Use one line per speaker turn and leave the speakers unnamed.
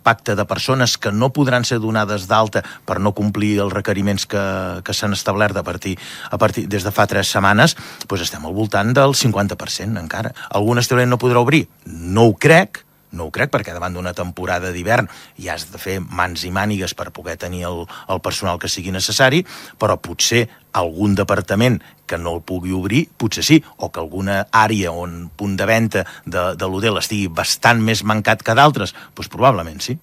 impacte de persones que no podran ser donades d'alta per no complir els requeriments que s'han establert a partir des de fa 3 setmanes, doncs estem al voltant del 50% encara. Algun establiment no podrà obrir? No ho crec, perquè davant d'una temporada d'hivern ja has de fer mans i mànigues per poder tenir el personal que sigui necessari, però potser algun departament que no el pugui obrir, potser sí, o que alguna àrea on punt de venda de l'hotel estigui bastant més mancat que d'altres, doncs probablement sí.